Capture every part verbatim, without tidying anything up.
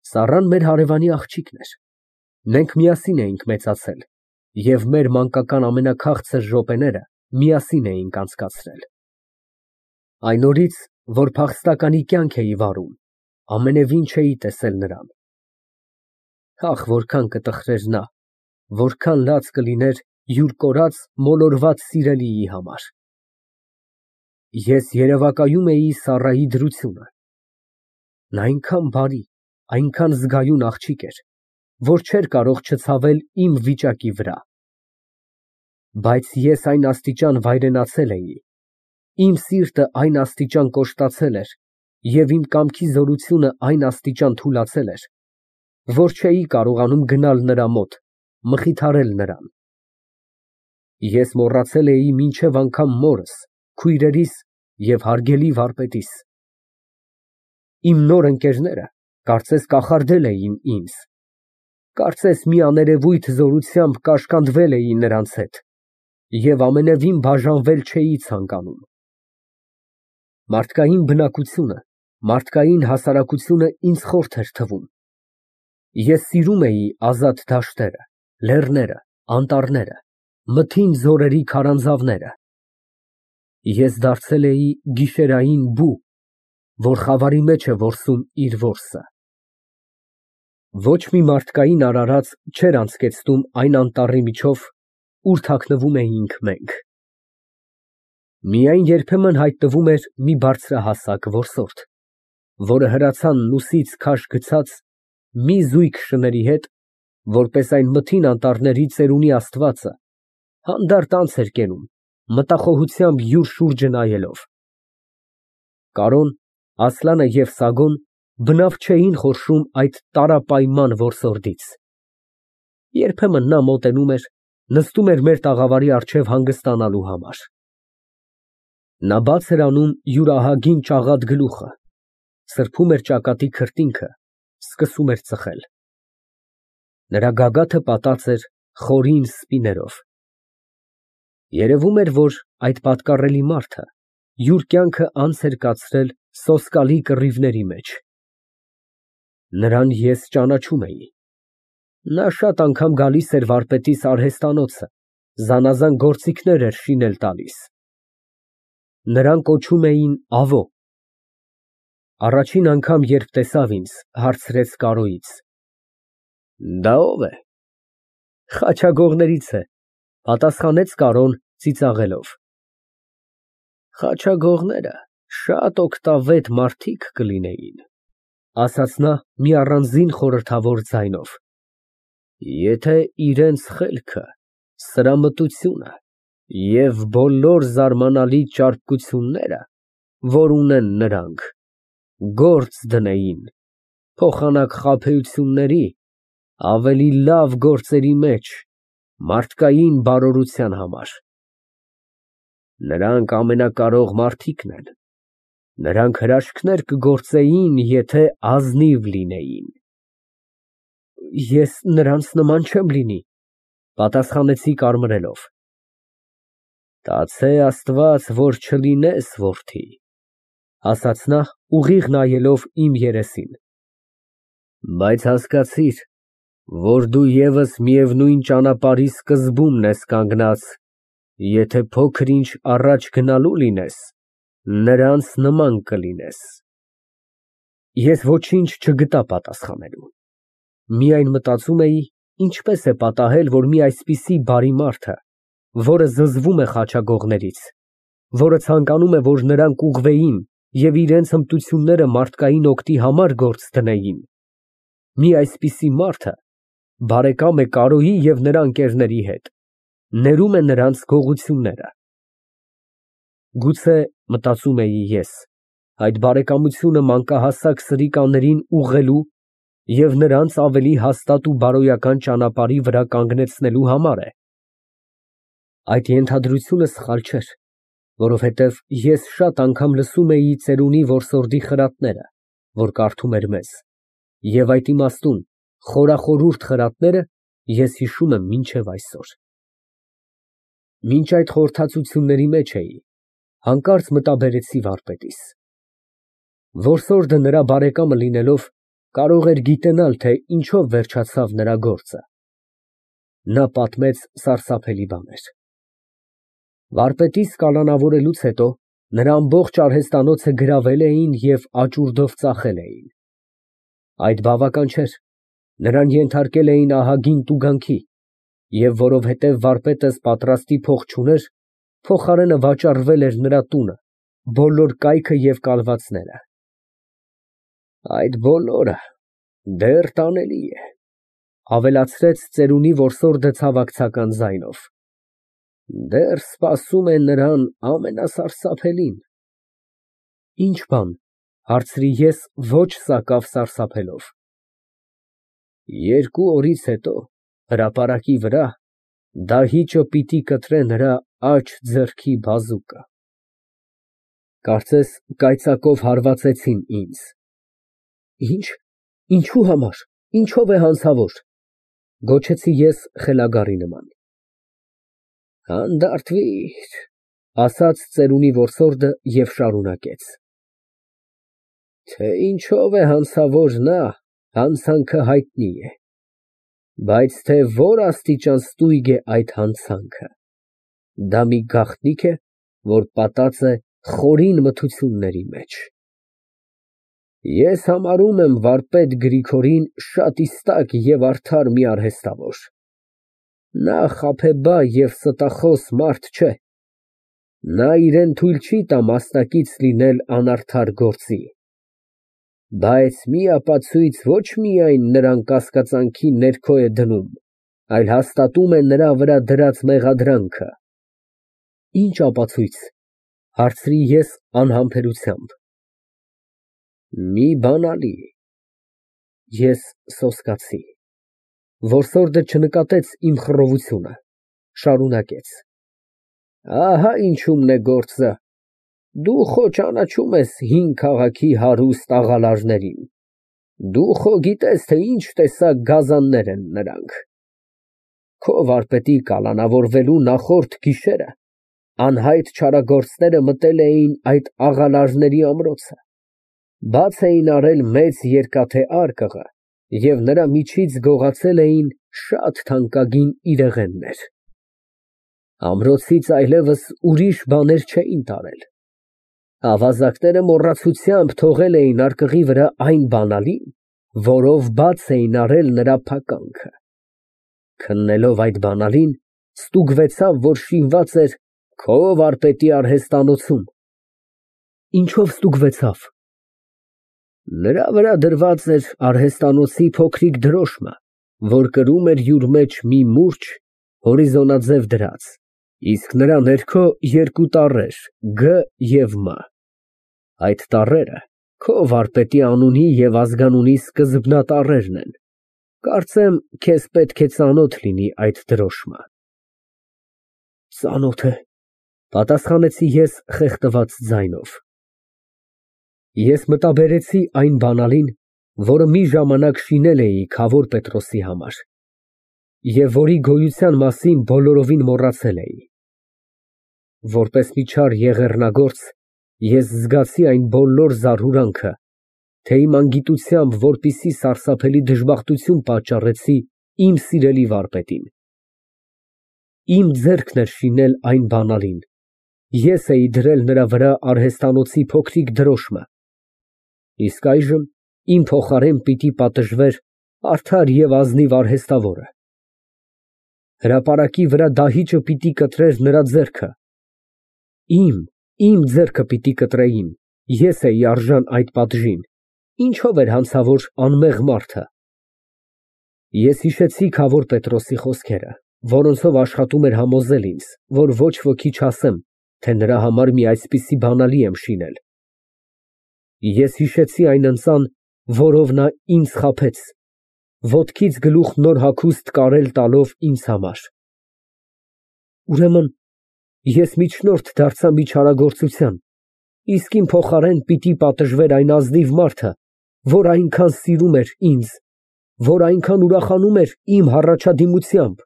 Սառան մեր հարևանի աղջիկն էր, մենք միասին էինք մեծացել և մեր մանկական ամենաքաղցր րոպեները միասին էինք անցկացրել։ Այն օրից, որ փախստականի կյանք էի վարում, ամենևին չէի տեսել նրան։ Ախ, որքան կտխրեր նա, որքան լաց կլիներ յուր կորած, մոլորված սիրելիի համար։ Ես երևակայում էի Սառայի դրությունը։ Նա այնքան բարի, այնքան զգայուն աղջիկ էր, որ չէր կարող չցավել իմ վիճակի վրա։ Բայց ես այն աստիճան վայրենացել էի, իմ սիրտը այն աստիճան կոշտացել էր և իմ կամքի զորությունը այն աստիճան թուլացել էր, որ չէի կարողանում գնալ նրա մոտ, մխիթարել նրան։ Ես մոռացել էի մինչև անգամ մորս, քույրերիս և հարգելի վարպետիս։ Իմ նոր ընկերները կարծես կախարդել էին ինձ, կարծես մի աներևույթ զորությամբ կաշկանդվել էի նրանց հետ և ամենևին բաժանվել չէի ցանկանում։ Մարդկային բնակությունը, մարդկային հասարակությունը ինձ խորթ էր թվում։ Ես սիրում էի ազատ դաշտերը, լեռները, անտառները, մթին ձորերի քարանձավները։ Ես դարձել էի գիշերային բու, որ խավարի մեջ է որսում իր որսը։ Ոչ մի մարդկային արարած չէր անցկեցնում այն անտառի միջով, ուր թաքնվում էինք մենք։ Միայն երբեմն հայտնվում էր մի բարձրահասակ որսորդ, որը հրացանն ուսից քաշ գցած մի զույգ շների հետ, որպես այն մթին անտառների ծերունի աստվածը, հանդարտ անց էր կենում, մտախոհությամբ յուր շուրջը նայելով։ Կարոն, Ասլանը և Սագոն բնավ չէին խորշում այդ տարապայման որսորդից։ Երբեմն նա մոտենում էր, նստում էր մեր տաղավարի առջև հանգստանալու համար։ Նա բաց էր անում յուր ահագին ճաղատ գլուխը, սրբում էր ճակատի քրտինքը, սկսում էր ծխել։ Նրա գագաթը պատած էր խորին սպիներով։ Երևում էր, որ այդ պատկառելի մարդը յուր կյանքը անց էր կացրել սոսկալի կռիվների մեջ։ Նրան ես ճանաչում էի։ Նա շատ անգամ գալիս էր վարպետիս արհեստանոցը, զանազան գործիքներ էր շինել տալիս։ Նրան կոչում էին Ավո։ Առաջին անգամ, երբ տեսավ ինձ, հարցրեց Կարոյից. «Դա ո՞վ է»։ «Խաչագողներից է», պատասխանեց Կարոն ծիծաղելով։ «Խաչագողները շատ օգտավետ մարդիկ կլինեին», ասաց նա մի առանձին խորհրդավոր ձայնով, «եթե իրենց խելքը, սրամտությունը և բոլոր զարմանալի ճարպկությունները, որ ունեն նրանք, գործ դնեին փոխանակ խաբեությունների, ավելի լավ գործերի մեջ, մարդկային բարօրության համար։ Նրանք ամենակարող մարդիկն են, նրանք հրաշքներ կգործեին, եթե ազնիվ լինեին»։ «Ես նրանց նման չեմ լինի», պատասխանեցի կարմրելով։ «Կացե Աստված, որ չլինես, որդի», ասաց նա, ուղիղ նայելով իմ երեսին։ «Բայց հասկացիր, որ դու ևս միևնույն ճանապարհի սկզբումն ես կանգնած, եթե փոքր֊ինչ առաջ գնալու լինես, նրանց նման կլինես»։ Ես ոչինչ չգտա պատասխանելու։ Միայն մտածում էի, ինչպես է պատահել, որ մի այսպիսի բարի մարդը, որը զզվում է խաչագողներից, որը ցանկանում է, որ նրանք ուղղվեին և իրենց հմտությունները մարդկային օգտի համար գործ դնեին, մի այսպիսի մարդը բարեկամ է Կարոյի և նրա ընկերների հետ, ներում է նրանց գողությունները։ Գուցե, մտածում էի ես, այդ բարեկամությունը մանկահասակ սրիկաներին ուղղելու և նրանց ավելի հաստատ ու բարոյական ճանապարհի վրա կանգնեցնելու համար է։ Այդ ենթադրությունը սխալ չէր, որովհետև ես շատ անգամ լսում էի ծերունի որսորդի խրատները, որ կարդում էր մեզ, և այդ իմաստուն խորախորհուրդ խրատները ես հիշում եմ մինչև այսօր։ Մինչ այդ խորհրդածությունների մեջ էի, հանկարծ մտաբերեցի վարպետիս։ Որսորդը նրա բարեկամը լինելով, կարող էր գիտենալ, թե ինչով վերջացավ նրա գործը։ Նա պատմեց սարսափելի բաներ։ Վարպետիս կալանավորելուց հետո նրա ամբողջ արհեստանոցը գրավել էին և աճուրդով ծախել էին։ Այդ բավական չէր, նրան ենթարկել էին ահագին տուգանքի, և որովհետև վարպետս պատրաստի փող չուներ, փոխարենը վաճառվել էր նրա տունը, բոլոր կայքը և կալվածները։ Այդ բոլորը դեռ տանելի է, ավելացրեց ծերունի որսորդը ցավակցական ձայնով, դեռ սպասում է նրան ամենասարսափելին։ Ի՞նչ բան, հարցրի ես ոչ սակավ սարսափելով։ Երկու օրից հետո հրապարակի վրա դահիճը պիտի կտրե նրա աջ ձեռքի բազուկը։ Կարծես կայծակով հարվածեցին ինձ։ Ի՞նչ, ինչու համար, ինչով է հանցավոր, գոչեցի ես խելագարի նման։ Հանդարտվիր, ասաց ծերունի որսորդը և շարունակեց. Թե ինչով է հանցավոր նա, հանցանքը հայտնի է, բայց թե որ աստիճան ստույգ է այդ հանցանքը, դա մի գաղտնիք է, որ պատած է խորին մթությունների մեջ։ Ես համարում եմ վարպետ Գրիգորին շատ իստակ և արդար մի արհեստավոր։ Նա խաբեբա և ստախոս մարդ չէ։ Նա իրան թույլ չի տա մասնակից լինել անարդար գործի։ Բայց մի ապացույց ոչ միայն նրան կասկածանքի ներքո է դնում, այլ հաստատում է նրա վրա դրած մեղադրանքը։ Ի՞նչ ապացույց, հարցրի ես անհամբերությամբ։ Մի բանալի։ Ես սոսկացի։ Որսորդը չնկատեց իմ խռովությունը, շարունակեց. Ահա ինչումն է գործը, դու խո ճանաչում ես հին քաղաքի հարուստ աղալարներին, դու խո գիտես, թե ինչ տեսակ գազաններ են նրանք։ Քո վարպետի կալանավորվելու նախորդ գիշերը անհայտ չարագործները մտել էին այդ աղալարների ամրոցը, բաց էին արել մեծ երկաթե արկղը և նրա միջից գողացել էին շատ թանկագին իրեղեններ։ Ամրոցից այլևս ուրիշ բաներ չէին տարել։ Ավազակները մոռացությամբ թողել էին արկղի վրա այն բանալին, որով բաց էին արել նրա փականքը։ Քննելով այդ բանալին, ստուգվեցավ, որ շինված էր քո վարպետի արհեստանոցում։ Ինչով ստուգվեցավ։ Նրա վրա դրված էր արհեստանոցի փոքրիկ դրոշմը, որ կրում էր յուր մեջ մի մուրջ հորիզոնաձև դրած, իսկ նրա ներքո երկու տառեր՝ Գ և M։ Այդ տառերը քո վարպետի անունի և ազգանունի սկզբնատառերն են, կարծեմ, քեզ պետք է ծանոթ լինի այդ դրոշմը։ Ծանոթ է, պատասխանեցի ես խեղդված ձայնով։ Ես մտաբերեցի այն բանալին, որը մի ժամանակ շինել էի Քավոր Պետրոսի համար, և որի գոյության մասին բոլորովին մոռացել էի։ Որպես մի չար եղեռնագործ, ես զգացի այն բոլոր զարհուրանքը, թե իմ անգիտությամբ որպիսի սարսափելի դժբախտություն պատճառեցի իմ սիրելի վարպետին։ Իմ ձեռքն էր շինել այն բանալին, ես էի դրել նրա վրա արհեստանոցի փոքրիկ դրոշմը, իսկ այժմ իմ փոխարեն պիտի պատժվեր արդար և ազնիվ արհեստավորը։ Հրապարակի վրա դահիճը պիտի կտրեր նրա ձեռքը։ Իմ, իմ ձեռքը պիտի կտրեին, ես էի արժան այդ պատժին, ինչով էր հանցավոր անմեղ մարդը։ Ես հիշեցի Քավոր Պետրոսի խոսքերը, որոնցով աշխատում էր համոզել ինձ, որ ոչ ոքի չասեմ, թե նրա համար մի այսպիսի բանալի եմ շինել։ Ես հիշեցի այն ընծան, որով նա ինձ խաբեց, ոտքից գլուխ նոր հագուստ կարել տալով ինձ համար։ Ուրեմն ես միջնորդ դարձա մի չարագործության, իսկ իմ փոխարեն պիտի պատժվեր այն ազնիվ մարդը, որ այնքան սիրում էր ինձ, որ այնքան ուրախանում էր իմ հառաջադիմությամբ,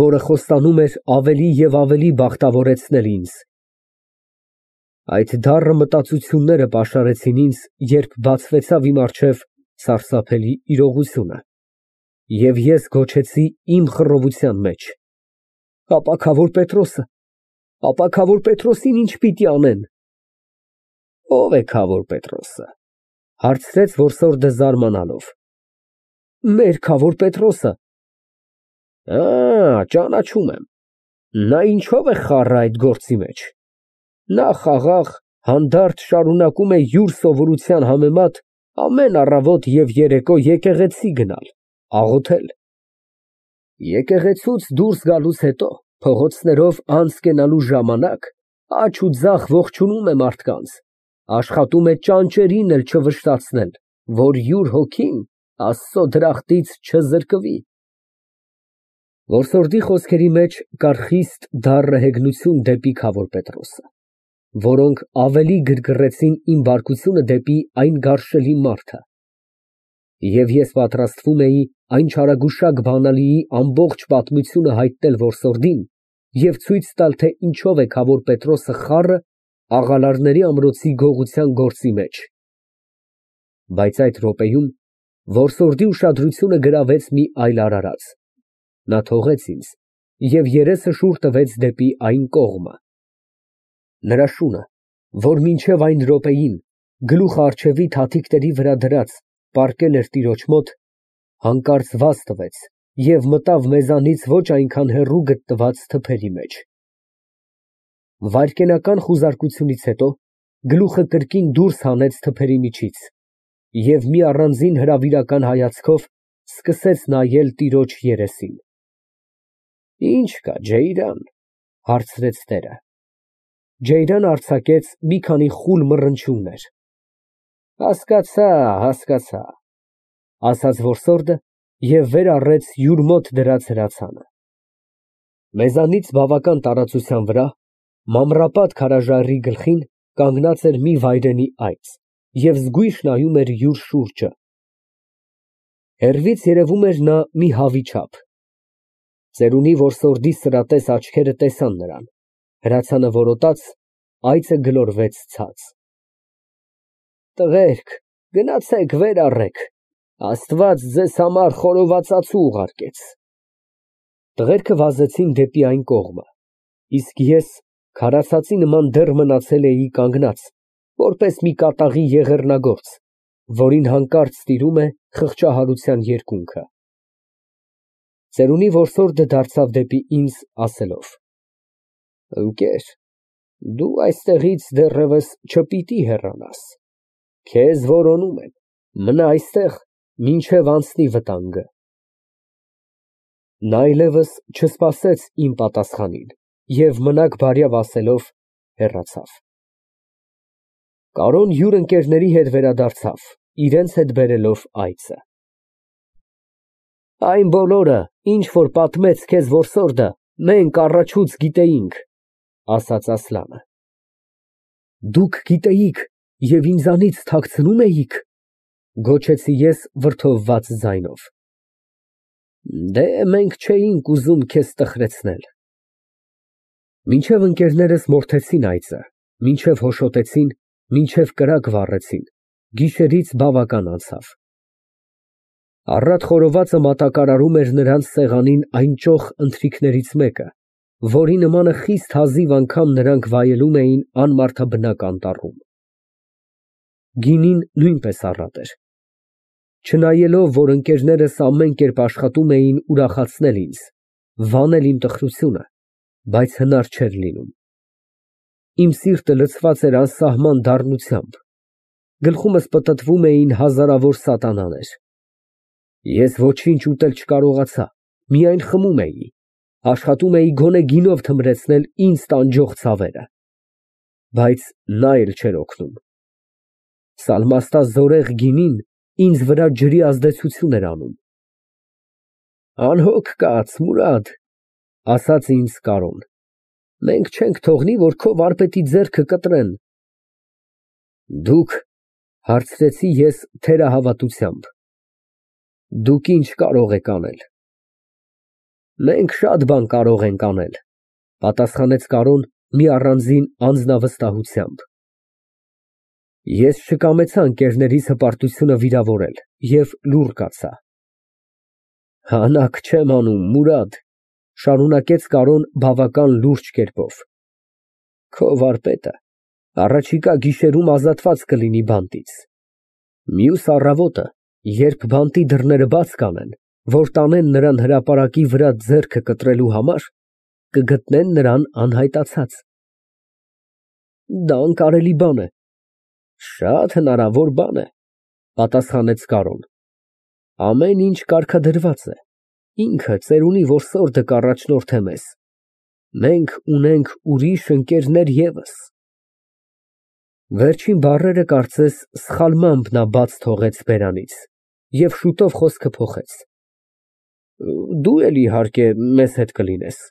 որը խոստանում էր ավելի և ավելի բախտավորեցնել ինձ։ Այդ դառը մտածությունները պաշարեցին ինձ, երբ բացվեցավ իմ առջև սարսափելի իրողությունը, և ես գոչեցի իմ խռովության մեջ. ապա քավոր Պետրոսը, ապա քավոր Պետրոսին ի՞նչ պիտի անեն։ Ո՞վ է քավոր Պետրոսը, հարցրեց որսորդը զարմանալով։ Մեր քավոր Պետրոսը։ Ա, ճանաչում եմ, նա ինչով է խառը այդ գործի մեջ։ Նա խաղաղ, հանդարտ շարունակում է յուր սովորության համեմատ ամեն առավոտ և երեկո եկեղեցի գնալ, աղոթել։ Եկեղեցուց դուրս գալուց հետո փողոցներով անց կենալու ժամանակ աջ ու ձախ ողջունում է մարդկանց, աշխատում է ճանճերին էլ չվշտացնել, որ յուր հոգին Աստծո դրախտից չզրկվի։ Որսորդի խոսքերի մեջ կար խիստ դառը հեգնություն դեպի քավոր Պետրոսը, որոնք ավելի գրգռեցին իմ բարկությունը դեպի այն գարշելի մարդը, և ես պատրաստվում էի այն չարագուշակ բանալիի ամբողջ պատմությունը հայտնել որսորդին և ցույց տալ, թե ինչով է քավոր Պետրոսը խառը աղալարների ամրոցի գողության գործի մեջ։ Բայց այդ րոպեում որսորդի ուշադրությունը գրավեց մի այլ արարած. նա թողեց ինձ և երեսը շուռ տվեց դեպի այն կողմը։ Նրա շունը, որ մինչև այն րոպեին գլուխը առջևի թաթիկների վրա դրած պառկել էր տիրոջ մոտ, հանկարծ վազ տվեց և մտավ մեզանից ոչ այնքան հեռու գտնված թփերի մեջ։ Վայրկենական խուզարկությունից հետո գլուխը կրկին դուրս հանեց թփերի միջից և մի առանձին հրավիրական հայացքով սկսեց նայել տիրոջ երեսին։ Ի՞նչ կա, Ջեյրան, հարցրեց տերը։ Ջեյրանը արձակեց մի քանի խուլ մռնչյուններ։ Հասկացա, հասկացա, ասաց որսորդը և վեր առեց յուր մոտ դրած հրացանը։ Մեզանից բավական տարածության վրա, մանրապատ քարաժայռի գլխին կանգնած էր մի վայրենի այծ և զգույշ նայում էր յուր շուրջը։ Հեռվից երևում էր նա մի հավի չափ։ Ծերունի որսորդի սրատես աչքերը տեսան նրան, հրացանը որոտաց, այծը գլորվեց ցած։ Տղերք, գնացեք վեր առեք, Աստված ձեզ համար խորովածածու ուղարկեց։ Տղերքը վազեցին դեպի այն կողմը, իսկ ես քարացածի նման դեռ մնացել էի կանգնած, որպես մի կատաղի եղեռնագործ, որին հանկարծ տիրում է խղճահարության երկունքը։ Ծերունի որսորդը դարձավ դեպի ինձ, ասելով. Ընկեր, դու այստեղից դեռևս չպիտի հեռանաս, քեզ որոնում են, մնա այստեղ, մինչև անցնի վտանգը։ Նա այլևս չսպասեց իմ պատասխանին և մնաք բարյավ ասելով հեռացավ։ Կարոն յուր ընկերների հետ վերադարձավ, իրենց հետ բերելով այծը։ Այն բոլորը, ինչ որ պատմեց քեզ որսորդը, մենք առաջուց գիտեինք, ասաց Ասլանը։ Դուք գիտեիք և ինձանից թաքցնում էիք, գոչեցի ես վրդովված ձայնով։ Դե, մենք չէինք ուզում քեզ տխրեցնել։ Մինչև ընկերներս մորթեցին այծը, մինչև հոշոտեցին, մինչև կրակ վառեցին, գիշերից բավական անցավ։ Առատ խորովածը մատակարարում էր նրանց սեղանին այն ճոխ ընթրիքներից մեկը, որի նմանը խիստ հազիվ անգամ նրանք վայելում էին անմարդաբնակ անտառում։ Գինին նույնպես առատ էր։ Չնայելով, որ ընկերներս ամեն կերպ աշխատում էին ուրախացնել ինձ, վանել իմ տխրությունը, բայց հնար չէր լինում։ Իմ սիրտը լցված էր անսահման դառնությամբ, գլխումս պտտվում էին հազարավոր սատանաներ։ Ես ոչինչ ուտել չկարողացա, միայն խմում էի, աշխատում էի գոնե գինով թմրեցնել ինձ տանջող ցավերը։ Բայց նա էլ չէր օգնում։ Սալմաստազորեղ գինին ինձ վրա ջրի ազդեցություն էր անում։ Անհոգ կաց, Մուրադ, ասաց ինձ Կարոն, մենք չենք թողնի, որ քո վարպետի ձեռքը կտրեն։ Դուք, հարցրեցի ես թերահավատությամբ, դուք ինչ կարող եք անել։ Մենք շատ բան կարող ենք անել, պատասխանեց Կարոն մի առանձին անձնավստահությամբ։ Ես չկամեցա ընկերներիս հպարտությունը վիրավորել և լուռ կացա։ Հանաք չեմ անում, Մուրադ, շարունակեց Կարոն բավական լուրջ կերպով, քո վարպետը առաջիկա գիշերում ազատված կլինի բանտից։ Մյուս առավոտը, երբ բանտի դռները բաց կանեն, որ տանեն նրան հրապարակի վրա ձեռքը կտրելու համար, կգտնեն նրան անհայտացած։ Դա անկարելի բան է։ Շատ հնարավոր բան է, պատասխանեց Կարոն։ Ամեն ինչ կարգադրված է, ինքը ծերունի որսորդը կառաջնորդե մեզ։ Մենք ունենք ուրիշ ընկերներ ևս։ Վերջին բառերը կարծես սխալմամբ նա բաց թողեց բերանից և շուտով խոսքը փոխեց. Դու էլ իհարկե մեզ հետ կլինես։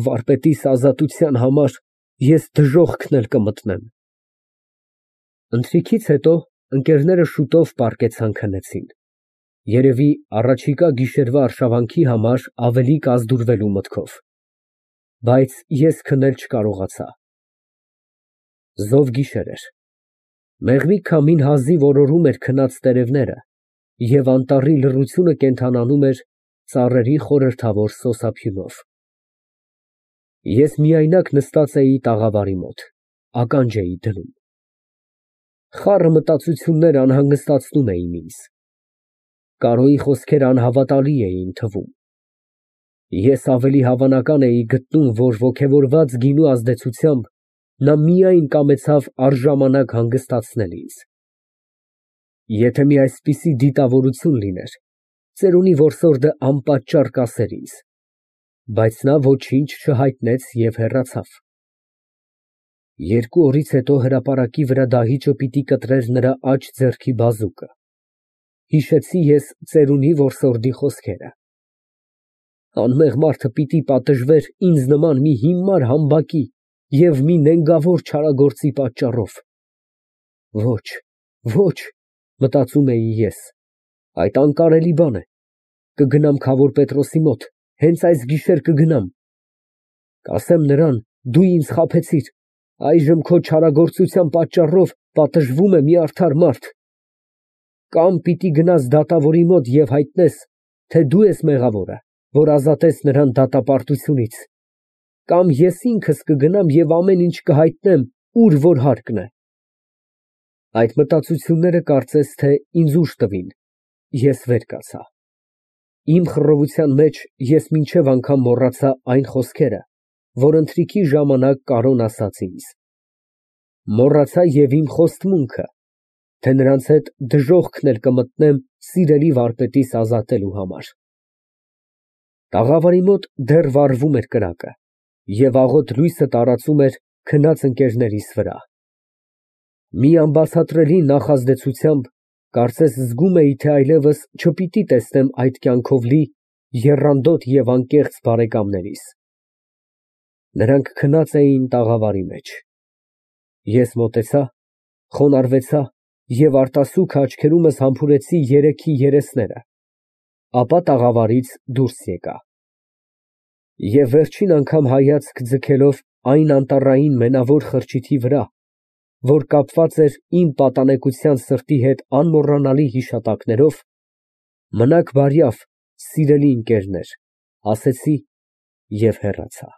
Վարպետիս ազատության համար ես դժոխքն էլ կմտնեմ։ Ընթրիքից հետո ընկերները շուտով պառկեցան քնեցին, երևի առաջիկա գիշերվա արշավանքի համար ավելի կազդուրվելու մտքով, բայց ես քնել չկարողացա։ Զով գիշեր էր, մեղվի քամին հազիվ օրորում էր քնած տերևները և անտառի լռությունը կենդանանում էր ծառերի խորհրդավոր սոսափյունով։ Ես միայնակ նստած էի տաղավարի մոտ, ականջ էի դնում։ Խառը մտածություններ անհանգստացնում էին ինձ։ Կարոյի խոսքերը անհավատալի էին թվում։ Ես ավելի հավանական էի գտնում, որ ոգևորված գինու ազդեցությամբ նա միայն կամեցավ առժամանակ հանգստացնել ինձ։ Եթե մի այսպիսի դիտավորություն լիներ, ծերունի որսորդը անպատճառ կասեր ինձ, բայց նա ոչինչ չհայտնեց և հեռացավ։ Երկու օրից հետո հրապարակի վրա դահիճը պիտի կտրեր նրա աջ ձեռքի բազուկը։ Հիշեցի ես ծերունի որսորդի խոսքերը. անմեղ մարդը պիտի պատժվեր ինձ նման մի հիմար համբակի և մի նենգավոր չարագործի պատճառով։ Ոչ, ոչ, մտածում էի ես, այդ անկարելի բան է, կգնամ քավոր Պետրոսի մոտ, հենց այս գիշեր կգնամ, կասեմ նրան, դու ինձ խաբեցիր, այժմ քո չարագործության պատճառով պատժվում է մի արդար մարդ, կամ պիտի գնաս դատավորի մոտ և հայտնես, թե դու ես մեղավորը, որ ազատես նրան դատապարտությունից, կամ ես ինքս կգնամ և ամեն ինչ կհայտնեմ, ուր որ հարկն է։ Այդ մտածությունները կարծես թե ինձ ուժ տվին, ես վեր կացա։ Իմ խռովության մեջ ես մինչև անգամ մոռացա այն խոսքերը, որ ընթրիքի ժամանակ Կարոն ասաց ինձ։ Մոռացա և իմ խոստմունքը, թե նրանց հետ դժոխքն էլ կմտնեմ սիրելի վարպետիս ազատելու համար։ Տաղավարի մոտ դեռ վառվում էր կրակը, և աղոտ լույսը տարածում էր քնած ընկերներիս վրա։ Մի անբացատրելի նախազդեցությամբ կարծես զգում էի, թե այլևս չպիտի տեսնեմ այդ կյանքով լի եռանդոտ և անկեղծ բարեկամներիս։ Նրանք քնած էին տաղավարի մեջ։ Ես մոտեցա, խոնարհվեցա և արտասուքը աչքերումս համբուրեցի երեքի երեսները, ապա տաղավարից դուրս եկա։ Եվ վերջին անգամ հայացք ձգելով այն անտառային մենավոր խրճիթի վրա, որ կապված էր իմ պատանեկության սրտի հետ անմոռանալի հիշատակներով, մնաք բարյավ, սիրելի ընկերներ, ասեցի և հեռացա։